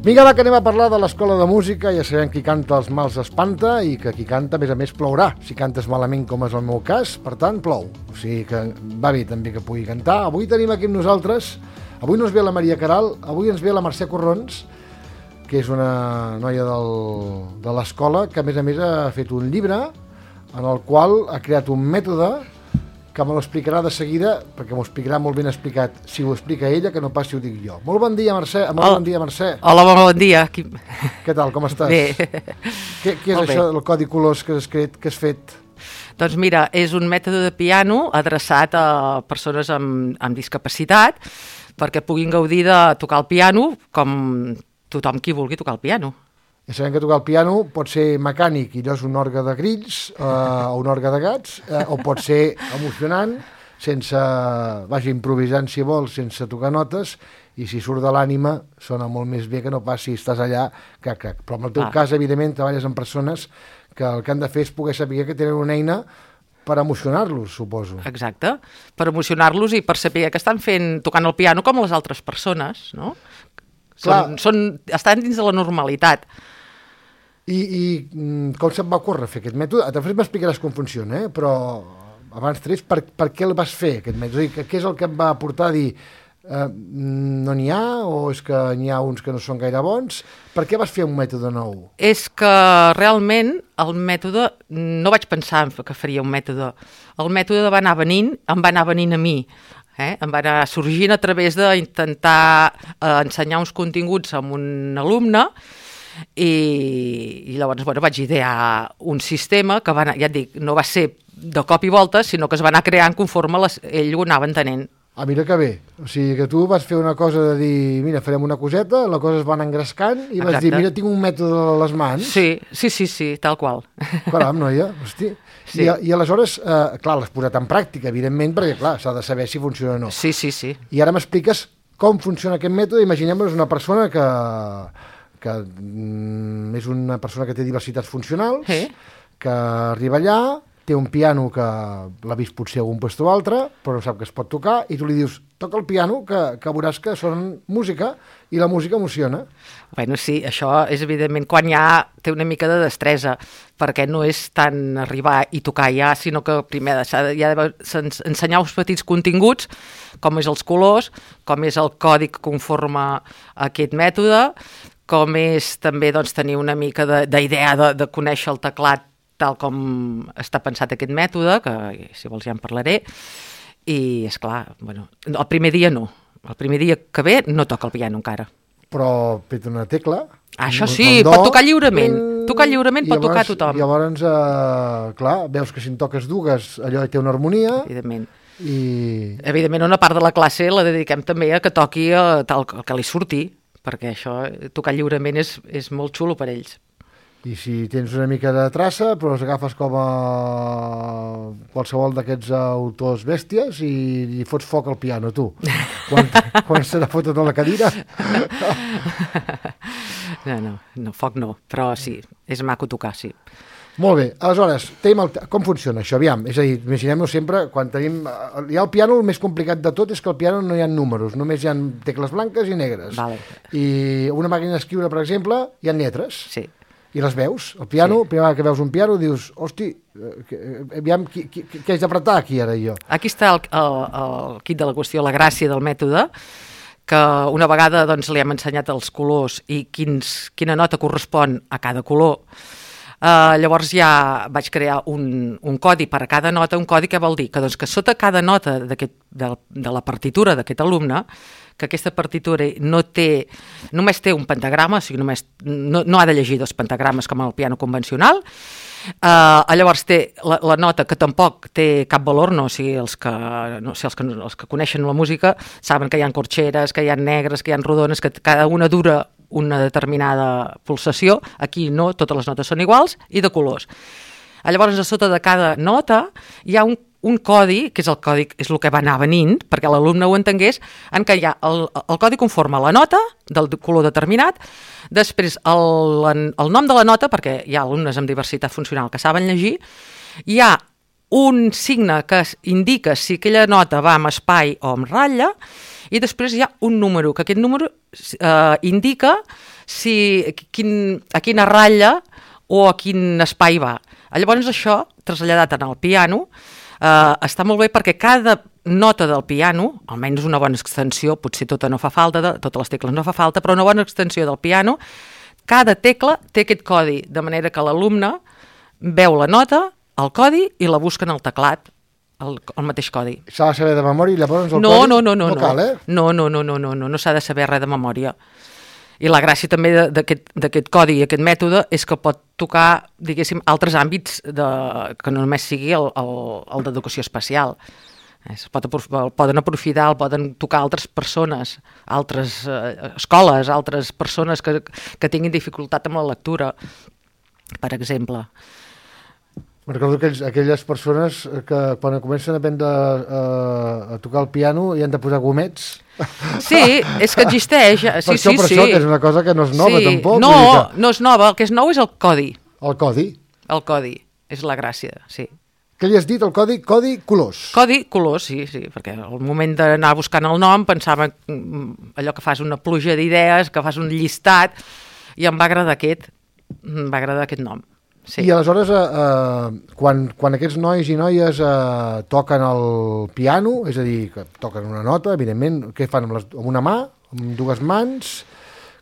Vinga, va, que anem a parlar de l'escola de música. Ja sabem qui canta els mals espanta i que qui canta, a més, plourà. Si cantes malament, com és el meu cas, per tant, plou. O sigui que va bé també que pugui cantar. Avui tenim aquí amb nosaltres, avui no ens ve la Maria Caral, avui ens ve la Mercè Corrons, que és una noia de l'escola, que a més ha fet un llibre en el qual ha creat un mètode que me l'explicarà de seguida, perquè m'ho explicarà molt ben explicat, si ho explica ella, que no pas si ho dic jo. Molt bon dia, Mercè. Bon dia, Mercè. Hola, bon dia. Què tal, com estàs? Bé. Què és això del codi colors que has fet? Doncs mira, és un mètode de piano adreçat a persones amb discapacitat perquè puguin gaudir de tocar el piano com tothom qui vulgui tocar el piano. Ja sabem que tocar el piano pot ser mecànic i allò és un orgue de grills o un orgue de gats, o pot ser emocionant, improvisant si vols, sense tocar notes, i si surt de l'ànima sona molt més bé que no pas si estàs allà, crac. Però en el teu cas, evidentment, treballes amb persones que el que han de fer és poder saber que tenen una eina per emocionar-los, suposo. Exacte, per emocionar-los i per saber que estan tocant el piano com les altres persones, no? Estan dins de la normalitat. I com se't va ocórrer fer aquest mètode? Després m'explicaràs com funciona, però abans trets, per què el vas fer, aquest mètode? Què és el que em va portar a dir no n'hi ha, o és que n'hi ha uns que no són gaire bons? Per què vas fer un mètode nou? És que realment el mètode, no vaig pensar que faria un mètode. El mètode va anar venint a mi. Em va anar sorgint a través d'intentar ensenyar uns continguts a un alumne i llavors vaig idear un sistema que ja et dic, no va ser de cop i volta, sinó que es va anar creant conforme ell ho anava entenent. Mira que bé, o sigui que tu vas fer una cosa de dir, mira, farem una coseta, la cosa es va anar engrescant i vas dir, mira, tinc un mètode a les mans. Sí, tal qual. Caram, noia, hosti. Sí. I aleshores, clar, l'has posat en pràctica, evidentment, perquè clar, s'ha de saber si funciona o no. Sí. I ara m'expliques com funciona aquest mètode. Imaginem-nos una persona que és una persona que té diversitats funcionals, que arriba allà, té un piano que l'ha vist potser a algun lloc o altre, però no sap que es pot tocar, i tu li dius, toca el piano, que veuràs que sona música, i la música emociona. Bueno, sí, això és evidentment quan ja té una mica de destresa, perquè no és tant arribar i tocar ja, sinó que primer s'ha d'ensenyar uns petits continguts, com és els colors, com és el codi que conforma aquest mètode, com és també tenir una mica d'idea de conèixer el teclat tal com està pensat aquest mètode, que si vols ja en parlaré, i esclar, el primer dia no. El primer dia que ve no toca el piano encara. Però peta una tecla. Això sí, pot tocar lliurement. Tocar lliurement pot tocar tothom. Llavors, clar, veus que si en toques dues, allò té una harmonia. Evidentment. Evidentment, una part de la classe la dediquem també a que toqui tal que li surti, perquè això, tocar lliurement és molt xulo per ells. I si tens una mica de traça, però els agafes com a qualsevol d'aquests autors bèsties i fots foc al piano, tu. Quan se n'ha fotut a la cadira? No, foc no, però sí, és maco tocar, sí. Molt bé, aleshores, com funciona això? Aviam, és a dir, imaginem-nos sempre, quan tenim... Ja el piano, el més complicat de tot és que al piano no hi ha números, només hi ha tecles blanques i negres. Vale. I una màquina d'escriure, per exemple, hi ha lletres. Sí. I les veus. El piano, sí. Primera vegada que veus un piano, dius, hosti, aviam, què haig d'apretar aquí ara jo? Aquí està el quid de la qüestió, la gràcia del mètode, que una vegada li hem ensenyat els colors i quina nota correspon a cada color. Llavors ja vaig crear un codi per a cada nota. Un codi què vol dir? Que sota cada nota de la partitura d'aquest alumne, que aquesta partitura només té un pentagrama, o sigui, no ha de llegir dos pentagrames com el piano convencional. Llavors té la nota que tampoc té cap valor, o sigui, els que coneixen la música saben que hi ha corxeres, que hi ha negres, que hi ha rodones, que cada una dura una determinada pulsació. Aquí no, totes les notes són iguals i de colors. Llavors, a sota de cada nota hi ha un codi, que és el codi, és el que va anar venint, perquè l'alumne ho entengués, en què hi ha el codi conforma la nota del color determinat, després el nom de la nota, perquè hi ha alumnes amb diversitat funcional que saben llegir, hi ha un signe que indica si aquella nota va amb espai o amb ratlla, i després hi ha un número, que aquest número indica a quina ratlla o a quin espai va. Llavors això, traslladat en el piano, està molt bé perquè cada nota del piano, almenys una bona extensió, potser tota no fa falta, totes les tecles no fa falta, però una bona extensió del piano, cada tecla té aquest codi, de manera que l'alumne veu la nota, el codi, i la busca en el teclat, el mateix codi. S'ha de saber de memòria i llavors el codi? No cal, eh? No s'ha de saber res de memòria. I la gràcia també d'aquest codi i aquest mètode és que pot tocar, diguéssim, altres àmbits que no només sigui el d'educació especial. Poden aprofitar, poden tocar altres persones, altres escoles, altres persones que tinguin dificultat amb la lectura, per exemple. Recordo aquelles persones que quan comencen a aprendre a tocar el piano hi han de posar gomets. Sí, és que existeix. Per això, que és una cosa que no és nova, tampoc. No és nova, el que és nou és el codi. El codi? El codi, és la gràcia, sí. Què li has dit, el codi? Codi colors. Codi colors, sí, perquè al moment d'anar buscant el nom pensava allò que fas una pluja d'idees, que fas un llistat, i em va agradar aquest nom. Sí. I aleshores, quan aquests nois i noies toquen el piano, és a dir, que toquen una nota, evidentment, què fan amb una mà, amb dues mans?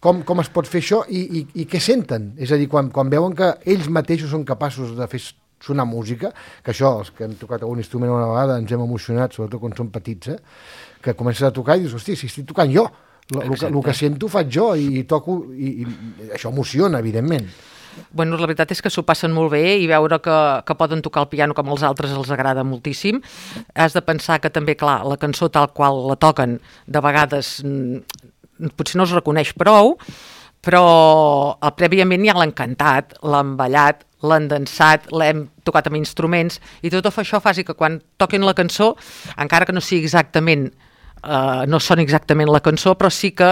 Com es pot fer això i què senten? És a dir, quan veuen que ells mateixos són capaços de fer sonar música, que això, els que hem tocat algun instrument una vegada, ens hem emocionat, sobretot quan som petits, que comences a tocar i dius, hosti, si estic tocant jo, el que sento faig jo i toco, i això emociona, evidentment. Bueno, la veritat és que s'ho passen molt bé i veure que poden tocar el piano com els altres els agrada moltíssim. Has de pensar que també, clar, la cançó tal qual la toquen, de vegades potser no es reconeix prou, però prèviament ja l'han cantat, l'han ballat, l'han dansat, l'hem tocat amb instruments, i tot això fa que quan toquin la cançó, encara que no sigui exactament no soni exactament la cançó, però sí que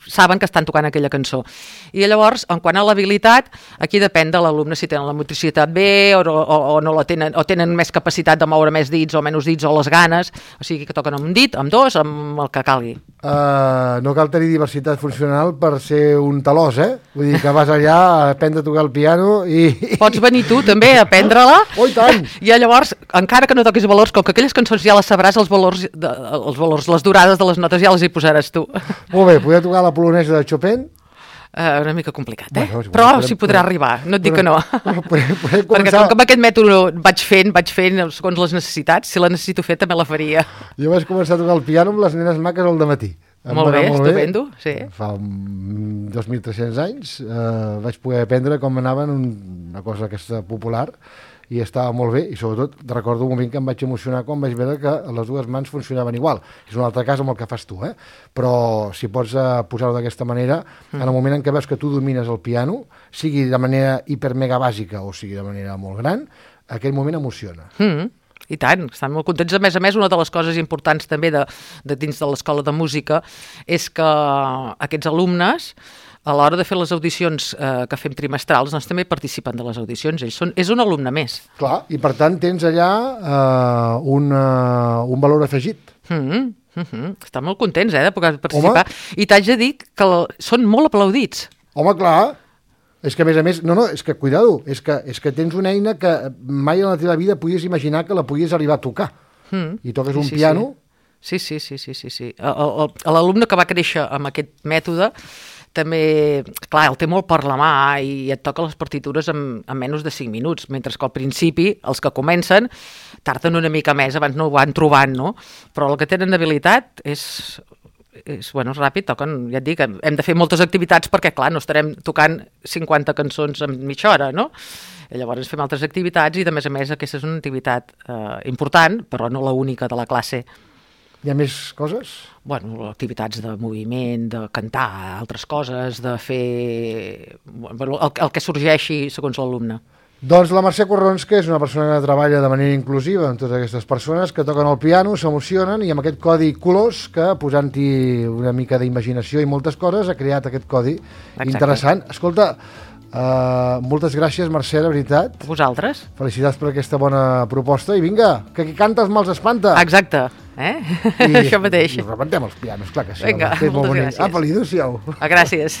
saben que estan tocant aquella cançó. I llavors, en quant a l'habilitat, aquí depèn de l'alumne si tenen la motricitat bé o no la tenen, o tenen més capacitat de moure més dits o menys dits o les ganes, o sigui que toquen amb un dit, amb dos, amb el que calgui. No cal tenir diversitat funcional per ser un talòs, Vull dir que vas allà a aprendre a tocar el piano i... Pots venir tu també a aprendre-la. Oh, i tant! I llavors, encara que no toquis valors, com que aquelles cançons ja les sabràs, els valors, les durades de les notes ja les hi posaràs tu. Molt bé, poder tocar la polonesa de Chopin? Una mica complicat, però s'hi podrà arribar, no et dic que no. Podem perquè com que amb aquest mètode vaig fent segons les necessitats, si la necessito fer també la faria. Jo vaig començar a tocar el piano amb les nenes maques al dematí. Molt bé, estupendo, sí. Fa 2.300 anys vaig poder aprendre com anaven una cosa aquesta popular, i estava molt bé, i sobretot recordo un moment que em vaig emocionar quan vaig veure que les dues mans funcionaven igual. És un altre cas amb el que fas tu, però si pots posar-ho d'aquesta manera, en el moment en què veus que tu domines el piano, sigui de manera hiper-mega bàsica o sigui de manera molt gran, aquell moment emociona. I tant, estan molt contents. A més, una de les coses importants també de dins de l'escola de música és que aquests alumnes, a l'hora de fer les audicions que fem trimestrals, doncs també participen de les audicions. És un alumne més. Clar, i per tant tens allà un valor afegit. Estan molt contents de poder participar. Home. I t'haig de dir que són molt aplaudits. Home, clar. És que, a més, és que, cuidado, és que tens una eina que mai en la teva vida podies imaginar que la podies arribar a tocar. I toques un piano... Sí. L'alumne que va créixer amb aquest mètode també, clar, el té molt per la mà i et toca les partitures en menys de 5 minuts, mentre que al principi, els que comencen, tarden una mica més, abans no ho van trobant, no? Però el que tenen habilitat és ràpid, toquen, ja et dic, hem de fer moltes activitats perquè, clar, no estarem tocant 50 cançons en mitja hora, no? I llavors fem altres activitats i, de més a més, aquesta és una activitat important, però no l'única de la classe. Hi ha més coses? Bueno, activitats de moviment, de cantar, altres coses, de fer el que sorgeixi segons l'alumne. Doncs la Mercè Corrons, que és una persona que treballa de manera inclusiva amb totes aquestes persones que toquen el piano, s'emocionen, i amb aquest codi colors que, posant-hi una mica d'imaginació i moltes coses, ha creat aquest codi interessant. Escolta, Moltes gràcies, Mercè, de veritat. A vosaltres. Felicitats per aquesta bona proposta. I vinga, que qui canta els mals espanta. Exacte. I Això mateix. I rebentem els pianos, clar que sí. Vinga, home, que és molt moltes bonic. gràcies. Apa, li adéu-siau. Gràcies.